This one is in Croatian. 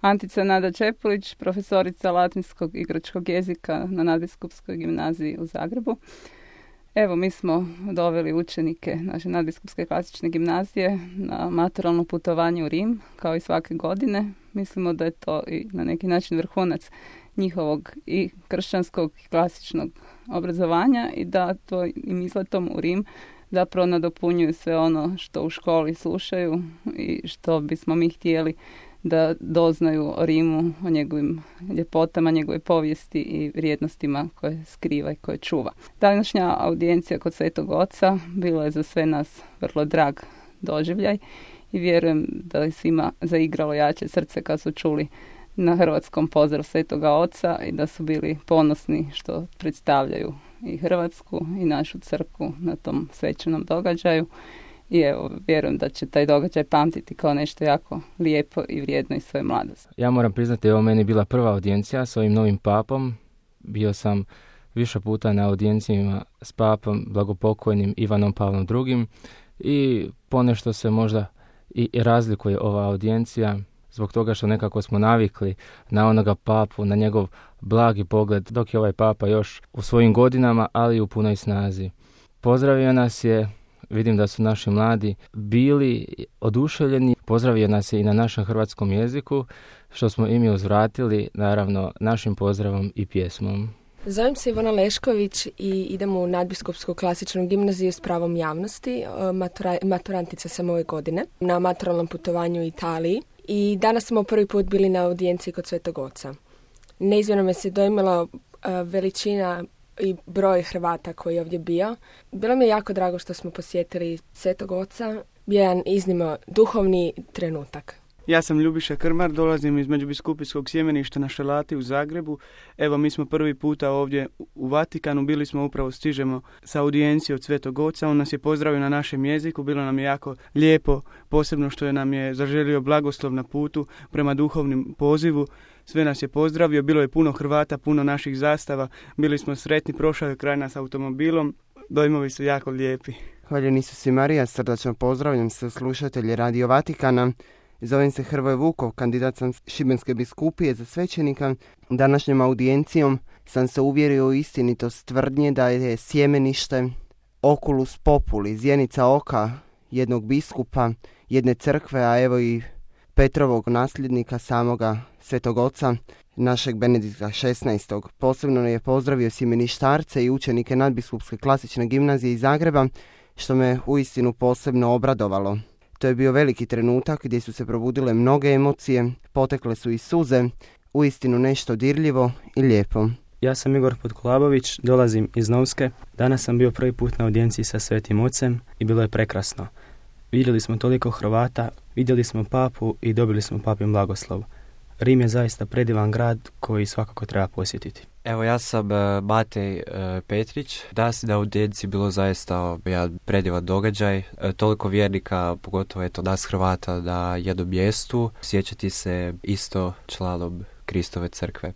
Antica Nada Čepulić, profesorica latinskog i grčkog jezika na Nadbiskupskoj gimnaziji u Zagrebu. Evo, mi smo doveli učenike naše Nadbiskupske klasične gimnazije na maturalno putovanje u Rim, kao i svake godine. Mislimo da je to i na neki način vrhunac njihovog i kršćanskog i klasičnog obrazovanja i da to im izletom u Rim zapravo nadopunjuju sve ono što u školi slušaju i što bismo mi htjeli da doznaju o Rimu, o njegovim ljepotama, njegove povijesti i vrijednostima koje skriva i koje čuva. Današnja audijencija kod Svetog Oca bila je za sve nas vrlo drag doživljaj i vjerujem da je svima zaigralo jače srce kad su čuli na hrvatskom pozdrav Svetoga Oca i da su bili ponosni što predstavljaju i Hrvatsku i našu crkvu na tom svečanom događaju. I evo, vjerujem da će taj događaj pamtiti kao nešto jako lijepo i vrijedno iz svoje mladosti. Ja moram priznati, ovo meni bila prva audijencija s ovim novim papom. Bio sam više puta na audijencijama s papom blagopokojnim Ivanom Pavlom II. I ponešto se možda i razlikuje ova audijencija zbog toga što nekako smo navikli na onoga papu, na njegov blagi pogled, dok je ovaj papa još u svojim godinama, ali i u punoj snazi. Pozdravio nas je, vidim da su naši mladi bili oduševljeni, pozdravio nas je i na našem hrvatskom jeziku, što smo i mi uzvratili, naravno, našim pozdravom i pjesmom. Zovem se Ivana Lešković i idem u Nadbiskupsku klasičnu gimnaziju s pravom javnosti. Maturantica sam ove godine na maturalnom putovanju u Italiji i danas smo prvi put bili na audijenciji kod Svetog Oca. Neizmjerno me se dojmila veličina i broj Hrvata koji je ovdje bio. Bilo mi je jako drago što smo posjetili Svetog Oca. Bio jedan iznimno duhovni trenutak. Ja sam Ljubiša Krmar, dolazim iz Međubiskupijskog sjemeništa na Šelati u Zagrebu. Evo, mi smo prvi puta ovdje u Vatikanu, bili smo upravo, stižemo sa audijencije od Svetog Oca. On nas je pozdravio na našem jeziku, bilo nam je jako lijepo, posebno što je nam je zaželio blagoslov na putu prema duhovnim pozivu. Sve nas je pozdravio, bilo je puno Hrvata, puno naših zastava, bili smo sretni, prošao je kraj nas automobilom, dojmovi su jako lijepi. Hvaljen Isus i Marija, srdačno pozdravljam se slušatelji Radio Vatikana. Zovem se Hrvoje Vukov, kandidat sam Šibenske biskupije za svećenika. Današnjom audijencijom sam se uvjerio u istinitost tvrdnje da je sjemenište oculus populi, zjenica oka jednog biskupa, jedne crkve, a evo i Petrovog nasljednika, samoga Svetog Oca, našeg Benedikta XVI. Posebno je pozdravio sjemeništarce i učenike Nadbiskupske klasične gimnazije iz Zagreba, što me uistinu posebno obradovalo. To je bio veliki trenutak gdje su se probudile mnoge emocije, potekle su i suze, uistinu nešto dirljivo i lijepo. Ja sam Igor Podkolabović, dolazim iz Novske. Danas sam bio prvi put na audijenciji sa Svetim Ocem i bilo je prekrasno. Vidjeli smo toliko Hrvata, vidjeli smo papu i dobili smo papin blagoslov. Rim je zaista predivan grad koji svakako treba posjetiti. Evo, ja sam Matej Petrić. Danas na audijenciji bilo zaista jedan predivan događaj. Toliko vjernika, pogotovo nas Hrvata, na jednom mjestu. Sjećati se isto članom Kristove crkve.